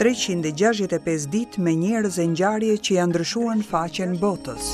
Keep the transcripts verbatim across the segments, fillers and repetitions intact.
treqind e gjashtëdhjetë e pesë ditë me njerëz e ngjarje që janë ndryshuar në faqen botës.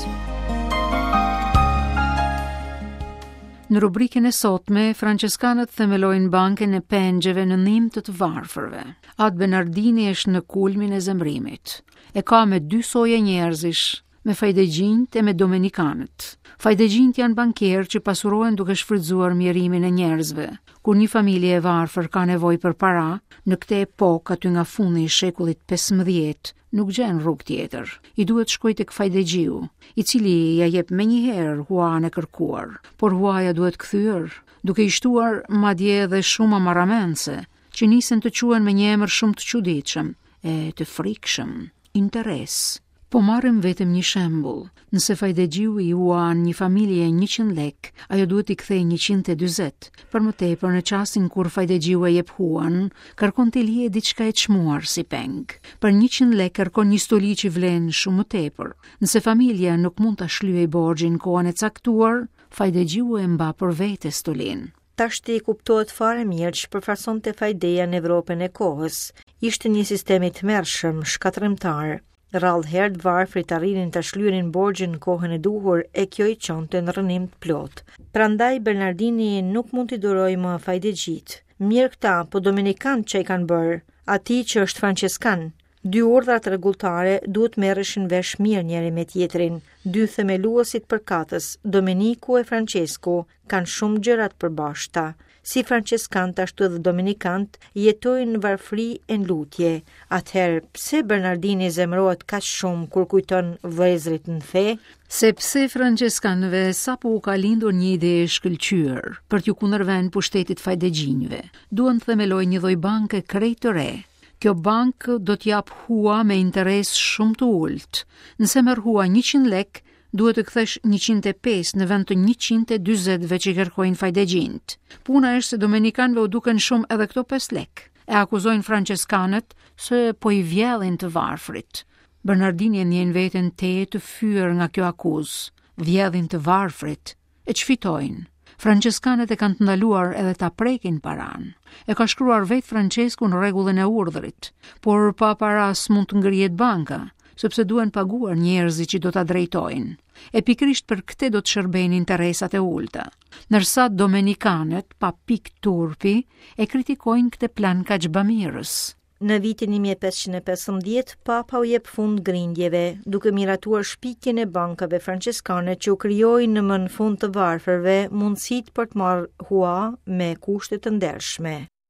Në rubrikën e sotme, Franceskanët themelojnë bankën e pengjeve në ndihmë të të varfërve. Atë Bernardini është në kulmin e zemrimit. E ka me dy soje njerëzish, me fajdegjinjt e me domenikanët. Fajdegjinjt janë bankerë që pasurohen duke shfrytzuar mjerimin e njerëzve. Kur një familje e varfër ka nevojë për para, në këtë epokë aty nga fundi i shekullit pesëmbëdhjetë, nuk gjen rrugë tjetër. I duhet shkoj tek fajdegjiu, i cili ja jep menjëherë huan e kërkuar, por huaja duhet kthyer, duke i shtuar madje edhe shuma marramendëse, që nisen të quhen me një emër shumë të çuditshëm e të frikshëm, interes. Po marrim vetëm një shembull. Nëse fajdegjiu i huan një familje njëqind lek, ajo duhet t'i kthejë njëqind e dyzet. Për më tepër, në çastin kur fajdegjiu e jep huan, kërkon të lije diçka e çmuar si peng. Për njëqind lek kërkon një stoli që vlen shumë më tepër. Nëse familja nuk mund ta shlyejë borxhin kohën e caktuar, fajdegjiu e mba për vete stolin. Tashti kuptohet fare mirë që përfaqësonte fajdeja në Evropën e kohës. Ishte një sistem i tmerrshëm, shkatërrimtar. Rrallë herë të varfrit arrinin ta shlyenin borxhin në kohën e duhur e kjo i çonte në rrënim të plot. Prandaj Bernardini nuk mund t'i durojë më fajdegjit. Mirë këta, po domenikanët që i kanë bërë, atij që është franceskan. Dy urdhrat rregulltare duhet merreshin vesh mirë njëri me tjetrin. Dy themeluesit përkatës, Domeniku e Francesku, kanë shumë gjëra të përbashkëta. Si franceskant ashtu edhe domenikant jetojnë në varfëri e në lutje. Atëherë, pse Bernardini zemërohet kaq shumë kur kujton vëllezërit në fe? Sepse franceskanëve sapo u ka lindur një ide e shkëlqyer për t'ju kundërvënë pushtetit fajdegjinjve. Duan të themelojnë një lloj banke krejt të re. Kjo bankë do t'jap hua me interes shumë të ulët. Nëse merr hua njëqind lek, duhet të kthesh njëqind e pesë në vend të njëqind e dyzetve që kërkojnë fajdegjinjt. Puna është se domenikanëve u duken shumë edhe këto pesë lek. E akuzojnë franceskanët se po i vjedhin të varfrit. Bernardini e ndjen veten tejet të fyer nga kjo akuzë. Vjedhin të varfrit. E ç'fitojnë? Franceskanët e kanë të ndaluar edhe ta prekin paran. E ka shkruar vetë Francesku në rregullin e urdhrit, por pa para s'mund të ngrihet banka, sepse duhen paguar njerëzit që do ta drejtojnë. E pikërisht për këtë do të shërbejnë interesat e ulta. Ndërsa domenikanët, pa pikë turpi, e kritikojnë këtë plan kaq bamirës. Në vitin një mijë e pesëqind e pesëmbëdhjetë, Papa u jep fund grindjeve, duke miratuar shpikjen e bankave franceskane që u krijojnë në më në fund të varfërve mundësitë për të marrë hua me kushte të ndershme.